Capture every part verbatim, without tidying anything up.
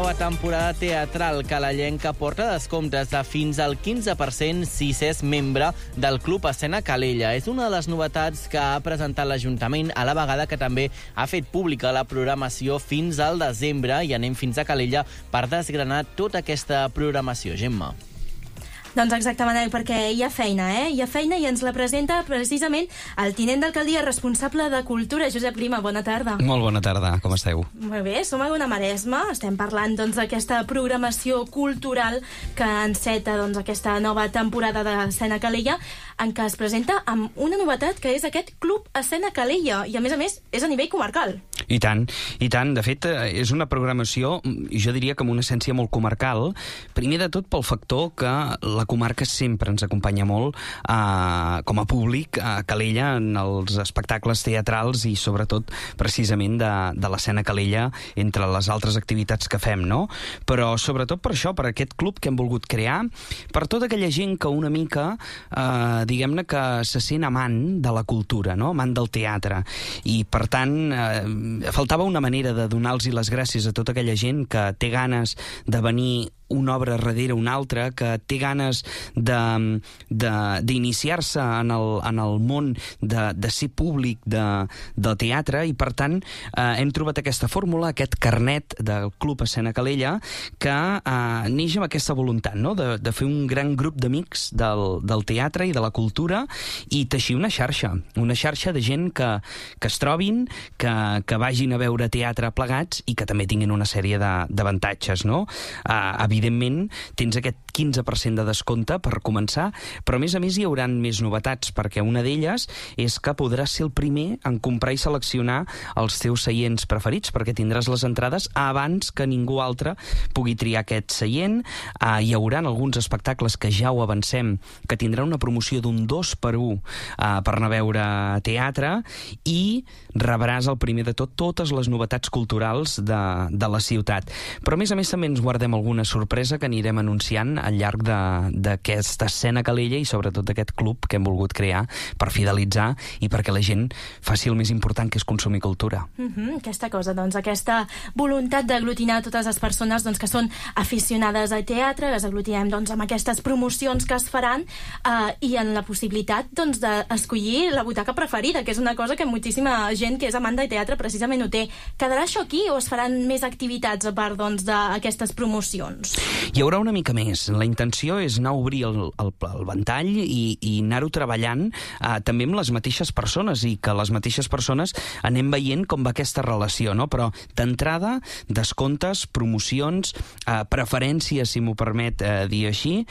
nova temporada teatral calellenca porta descomptes de fins al quinze per cent si s'és membre del Club Escena Calella. És una de les novetats que ha presentat l'Ajuntament, a la vegada que també ha fet pública la programació fins al desembre, i anem fins a Calella per desgranar tota aquesta programació. Gemma. Doncs exactament, perquè hi ha feina, eh? Hi ha feina i ens la presenta precisament el tinent d'alcaldia responsable de Cultura, Josep Lima. Bona tarda. Molt bona tarda, com esteu? Molt bé, som a Ona Maresma, estem parlant doncs d'aquesta programació cultural que enceta doncs aquesta nova temporada d'Escena Calella, en què es presenta amb una novetat que és aquest Club Escena Calella, i a més a més és a nivell comarcal. I tant, i tant. De fet, és una programació, jo diria que amb una essència molt comarcal, primer de tot pel factor que la comarca sempre ens acompanya molt eh, com a públic a Calella en els espectacles teatrals i sobretot precisament de, de l'escena Calella entre les altres activitats que fem, no? Però sobretot per això, per aquest club que hem volgut crear, per tota aquella gent que una mica, eh, diguem-ne que se sent amant de la cultura, no? Amant del teatre, i per tant eh, faltava una manera de donar-los les gràcies a tota aquella gent que té ganes de venir una obra darrere una altra, que té ganes d'iniciar-se en, el, en el món de, de ser públic de, de teatre, i per tant eh, hem trobat aquesta fórmula, aquest carnet del Club Escena Calella, que eh, neix amb aquesta voluntat, no? de, de fer un gran grup d'amics del, del teatre i de la cultura, i teixir una xarxa, una xarxa de gent que, que es trobin, que, que vagin a veure teatre plegats i que també tinguin una sèrie d'avantatges, no? Eh, Evidentment, tens aquest quinze per cent de descompte per començar, però a més a més hi haurà més novetats, perquè una d'elles és que podràs ser el primer en comprar i seleccionar els teus seients preferits, perquè tindràs les entrades abans que ningú altre pugui triar aquest seient. Uh, hi haurà alguns espectacles que ja ho avancem, que tindran una promoció d'un dos per un uh, per anar a veure teatre, i rebràs el primer de tot totes les novetats culturals de, de la ciutat. Però a més a més també ens guardem alguna sorpresa que anirem anunciant al llarg d'aquesta escena Calella i sobretot d'aquest club que hem volgut crear per fidelitzar i perquè la gent faci el més important, que és consumir cultura. Mm-hmm, aquesta cosa, doncs, aquesta voluntat d'aglutinar totes les persones doncs, que són aficionades al teatre, les aglutinem doncs, amb aquestes promocions que es faran eh, i en la possibilitat doncs, d'escollir la butaca preferida, que és una cosa que moltíssima gent que és amant del teatre precisament ho té. Quedarà això aquí o es faran més activitats a part doncs, d'aquestes promocions? Hi haurà una mica més. La intenció és anar a obrir el, el, el ventall i, i anar-ho treballant eh, també amb les mateixes persones, i que les mateixes persones anem veient com va aquesta relació, no? Però d'entrada, descomptes, promocions, eh, preferències, si m'ho permet eh, dir així,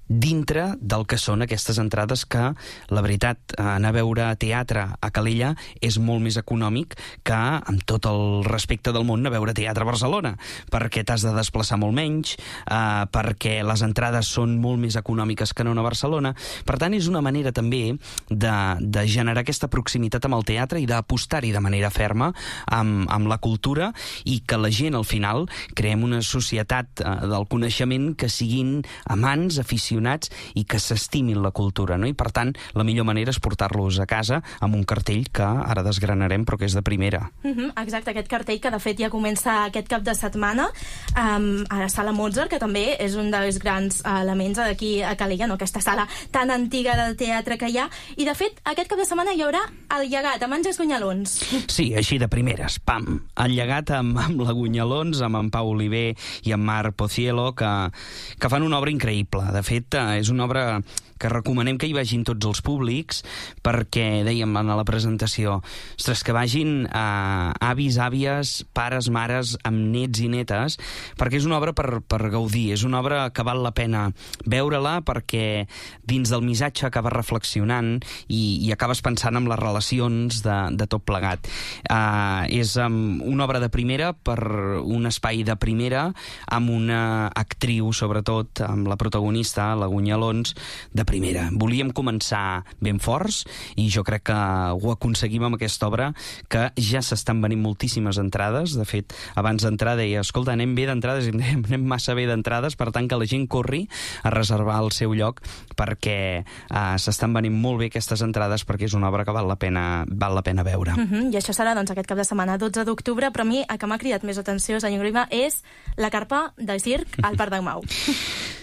dintre del que són aquestes entrades que, la veritat, anar a veure teatre a Calella és molt més econòmic que, amb tot el respecte del món, anar a veure teatre a Barcelona, perquè t'has de desplaçar molt menys, eh, perquè les entrades són molt més econòmiques que no a Barcelona. Per tant, és una manera també de, de generar aquesta proximitat amb el teatre i d'apostar-hi de manera ferma amb, amb la cultura, i que la gent, al final, creem una societat eh, del coneixement que siguin amants, aficionats i que s'estimin la cultura, no? I per tant la millor manera és portar-los a casa amb un cartell que ara desgranarem però que és de primera. Mm-hmm, exacte, aquest cartell que de fet ja comença aquest cap de setmana um, a la Sala Mozart, que també és un dels grans elements d'aquí a Calella, no? Aquesta sala tan antiga del teatre que hi ha, i de fet aquest cap de setmana hi haurà el Llegat amb Àngels Gunyalons. Sí, així de primeres, pam, el Llegat amb, amb la Gunyalons, amb en Pau Oliver i en Marc Pocielo, que, que fan una obra increïble. De fet, és una obra que recomanem que hi vagin tots els públics, perquè, dèiem en la presentació, ostres, que vagin a avis, àvies, pares, mares, amb nets i netes, perquè és una obra per, per gaudir, és una obra que val la pena veure-la, perquè dins del missatge acabes reflexionant i, i acabes pensant en les relacions de, de tot plegat. Uh, és um, una obra de primera per un espai de primera, amb una actriu, sobretot, amb la protagonista, la Gunyalons, de primera. Volíem començar ben forts i jo crec que ho aconseguim amb aquesta obra, que ja s'estan venint moltíssimes entrades. De fet, abans d'entrar deia, escolta, anem bé d'entrades, anem massa bé d'entrades, per tant que la gent corri a reservar el seu lloc, perquè uh, s'estan venint molt bé aquestes entrades, perquè és una obra que val la pena, val la pena veure. Uh -huh. I això serà doncs, aquest cap de setmana, dotze d'octubre, però a mi el que m'ha cridat més atenció, senyor Grima, és la carpa de circ al Parc del Mau.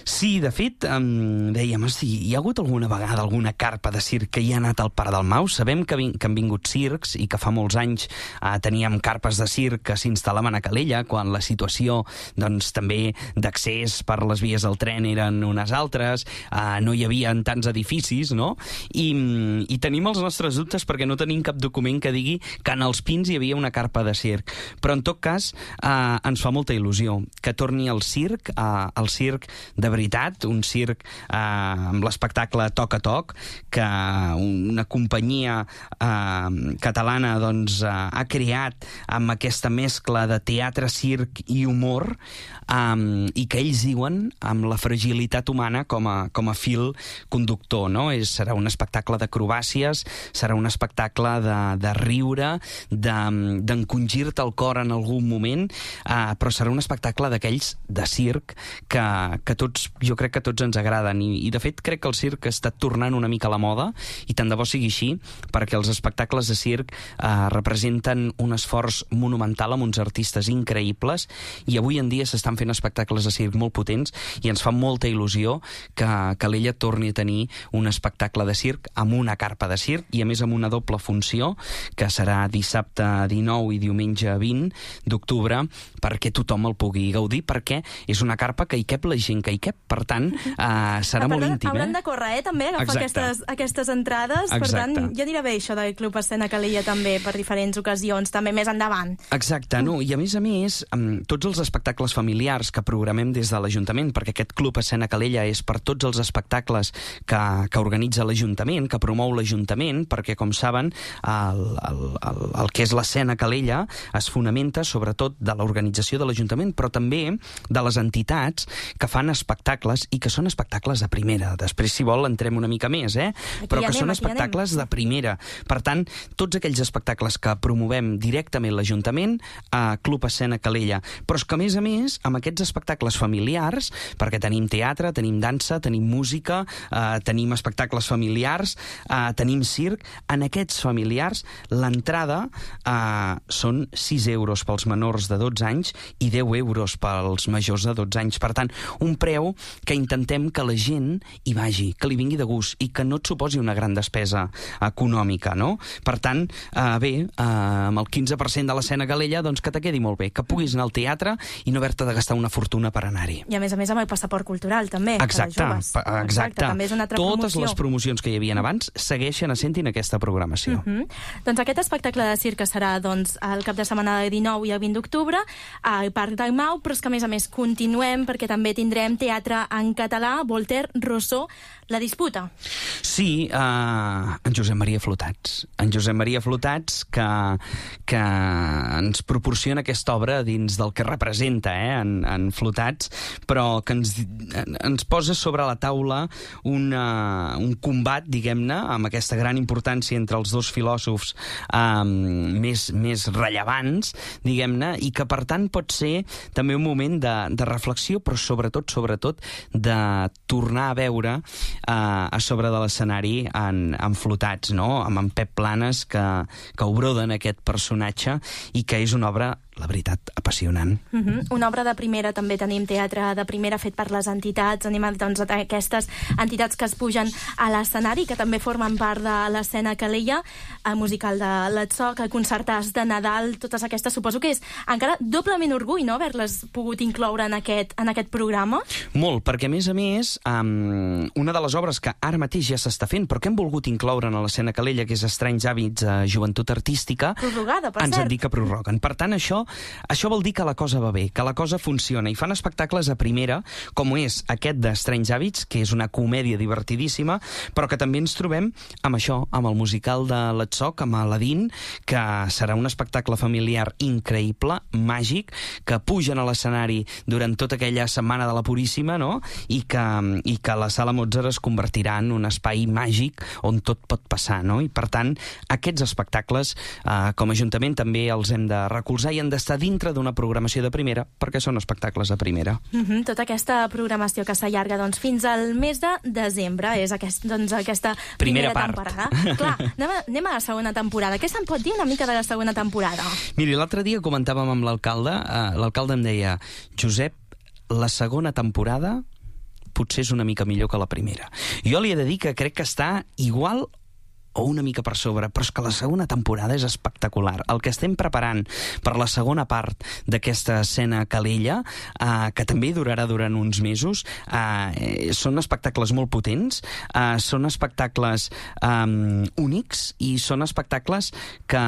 Sí, de fet, um, dèiem, si hi ha hagut alguna vegada alguna carpa de circ que hi ha anat al Parc del Mau? Sabem que, que han vingut circs i que fa molts anys uh, teníem carpes de circ que s'instal·laven a Calella, quan la situació doncs, també d'accés per les vies del tren eren unes altres, uh, no hi havia tants edificis, no? I, i tenim els nostres dubtes perquè no tenim cap document que digui que en els Pins hi havia una carpa de circ. Però, en tot cas, uh, ens fa molta il·lusió que torni el circ, uh, el circ de veritat, un circ eh, amb l'espectacle Toc a Toc, que una companyia eh, catalana doncs, eh, ha creat amb aquesta mescla de teatre, circ i humor, eh, i que ells diuen amb la fragilitat humana com a, com a fil conductor, no? És, serà un espectacle d'acrobàcies, serà un espectacle de, de riure, d'encongir-te el cor en algun moment, eh, però serà un espectacle d'aquells de circ que, que tots, jo crec que tots ens agraden, i, i de fet crec que el circ està tornant una mica a la moda, i tant de bo sigui així, perquè els espectacles de circ eh, representen un esforç monumental amb uns artistes increïbles, i avui en dia s'estan fent espectacles de circ molt potents, i ens fa molta il·lusió que Calella torni a tenir un espectacle de circ amb una carpa de circ, i a més amb una doble funció, que serà dissabte dinou i diumenge vint d'octubre, perquè tothom el pugui gaudir, perquè és una carpa que hi cap la gent que hi cap, per tant, uh, serà ah, molt íntim. Hauran eh? de córrer, eh, també, agafar aquestes, aquestes entrades. Exacte. Per tant, ja anirà bé això del Club Escena Calella també, per diferents ocasions, també més endavant. Exacte, no? I a més a més, amb tots els espectacles familiars que programem des de l'Ajuntament, perquè aquest Club Escena Calella és per tots els espectacles que, que organitza l'Ajuntament, que promou l'Ajuntament, perquè, com saben, el, el, el, el que és l'escena Calella es fonamenta sobretot de l'organització de l'Ajuntament, però també de les entitats que fan espectacles i que són espectacles de primera. Després, si vol, entrem una mica més, eh? Aquí Però que anem, són espectacles de primera. Per tant, tots aquells espectacles que promovem directament l'Ajuntament a Club Escena Calella. Però és que, a més a més, amb aquests espectacles familiars, perquè tenim teatre, tenim dansa, tenim música, eh, tenim espectacles familiars, eh, tenim circ, en aquests familiars l'entrada eh, són sis euros pels menors de dotze anys i deu euros pels majors de dotze anys. Per tant, un preu que intentem que la gent hi vagi, que li vingui de gust i que no et suposi una gran despesa econòmica, no? Per tant, eh, bé, eh, amb el quinze per cent de l'escena Calella, doncs que te quedi molt bé, que puguis anar al teatre i no haver-te de gastar una fortuna per anar-hi. I a més a més amb el passaport cultural, també, exacte, per als joves. Exacte, exacte. També és una altra Totes promoció. les promocions que hi havia abans segueixen essent-hi en aquesta programació. Uh -huh. Doncs aquest espectacle de circ serà doncs, el cap de setmana del dinou i el vint d'octubre al Parc del Mau, però és que a més a més continuem perquè també tindrem teatre en català, Voltaire, Rousseau, La disputa. Sí, uh, en Josep Maria Flotats. En Josep Maria Flotats que, que ens proporciona aquesta obra dins del que representa eh, en, en Flotats, però que ens, ens posa sobre la taula una, un combat, diguem-ne, amb aquesta gran importància entre els dos filòsofs um, més, més rellevants, diguem-ne, i que per tant pot ser també un moment de, de reflexió, però sobretot, sobretot, de tornar a veure Uh, a sobre de l'escenari en, en Flotats, no? Amb en Pep Planes que, que obroden aquest personatge i que és una obra, la veritat, apassionant. Uh -huh. Una obra de primera, també tenim teatre de primera fet per les entitats, anem doncs, a aquestes entitats que es pugen a l'escenari, que també formen part de l'escena Calella, el musical de l'Atzó, el concertàs de Nadal, totes aquestes, suposo que és encara doblement orgull, no?, haver-les pogut incloure en aquest, en aquest programa. Molt, perquè a més a més, um, una de les obres que ara mateix ja s'està fent, però que hem volgut incloure en l'escena Calella, que és Estranys hàbits a joventut artística, prorrogada, per ens cert. han dit que prorroguen. Per tant, això això vol dir que la cosa va bé, que la cosa funciona, i fan espectacles a primera, com és aquest de Strange Habits, que és una comèdia divertidíssima, però que també ens trobem amb això, amb el musical de l'Etsoc, amb Aladdin, que serà un espectacle familiar increïble, màgic, que pugen a l'escenari durant tota aquella setmana de la Puríssima, no? I que, i que la Sala Mozart es convertirà en un espai màgic on tot pot passar, no? I per tant, aquests espectacles, eh, com a Ajuntament, també els hem de recolzar i han d'estar dintre d'una programació de primera, perquè són espectacles de primera. Mm-hmm, tota aquesta programació que s'allarga doncs, fins al mes de desembre, és aquest, doncs, aquesta primera, primera temporada. Clar, anem a, anem a la segona temporada. Què se'n pot dir una mica de la segona temporada? Miri, l'altre dia comentàvem amb l'alcalde, eh, l'alcalde em deia, Josep, la segona temporada potser és una mica millor que la primera. Jo li he de dir que crec que està igual o una mica per sobre, però és que la segona temporada és espectacular. El que estem preparant per la segona part d'aquesta escena Calella, eh, que també durarà durant uns mesos, eh, són espectacles molt potents, eh, són espectacles eh, únics i són espectacles que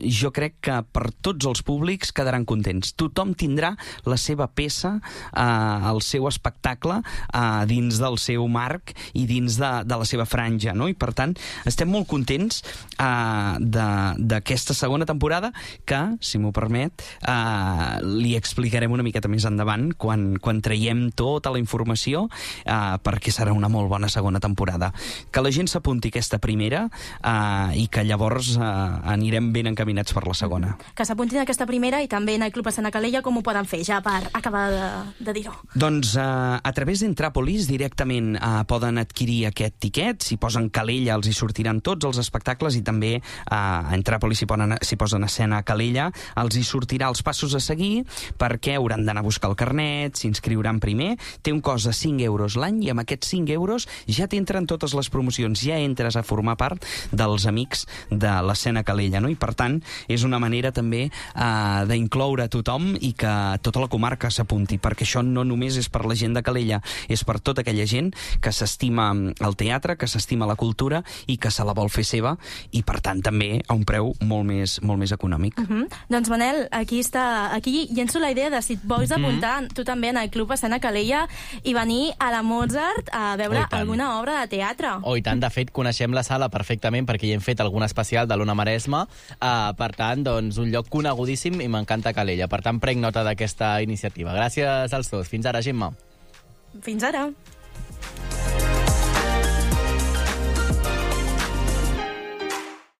jo crec que per tots els públics quedaran contents. Tothom tindrà la seva peça, eh, el seu espectacle, eh, dins del seu marc i dins de, de la seva franja, no? I per tant, estem Estem molt contents uh, d'aquesta segona temporada que, si m'ho permet, uh, li explicarem una miqueta més endavant quan, quan traiem tota la informació uh, perquè serà una molt bona segona temporada. Que la gent s'apunti aquesta primera uh, i que llavors uh, anirem ben encaminats per la segona. Que s'apuntin aquesta primera i també en el Club Escena Calella com ho poden fer, ja per acabar de, de dir-ho. Doncs uh, a través d'Entràpolis directament uh, poden adquirir aquest tiquet, si posen Calella els hi sortirà tots els espectacles i també eh, a Entràpolis s'hi posen, posen escena a Calella, els hi sortirà els passos a seguir perquè hauran d'anar a buscar el carnet, s'inscriuran primer, té un cost de cinc euros l'any i amb aquests cinc euros ja t'entren totes les promocions, ja entres a formar part dels amics de l'escena Calella, no? I per tant és una manera també eh, d'incloure tothom i que tota la comarca s'apunti, perquè això no només és per la gent de Calella, és per tota aquella gent que s'estima el teatre, que s'estima la cultura i que se la vol fer seva i, per tant, també a un preu molt més, molt més econòmic. Uh -huh. Doncs, Manel, aquí està, aquí llenço la idea de si et vols apuntar uh -huh. tu també en el Club Escena Calella i venir a la Mozart a veure oh, alguna obra de teatre. Oh, i tant, de fet, coneixem la sala perfectament perquè hi hem fet algun especial de l'Ona Maresma, uh, per tant, doncs, un lloc conegudíssim i m'encanta Calella. Per tant, prenc nota d'aquesta iniciativa. Gràcies als dos. Fins ara, Gemma. Fins ara.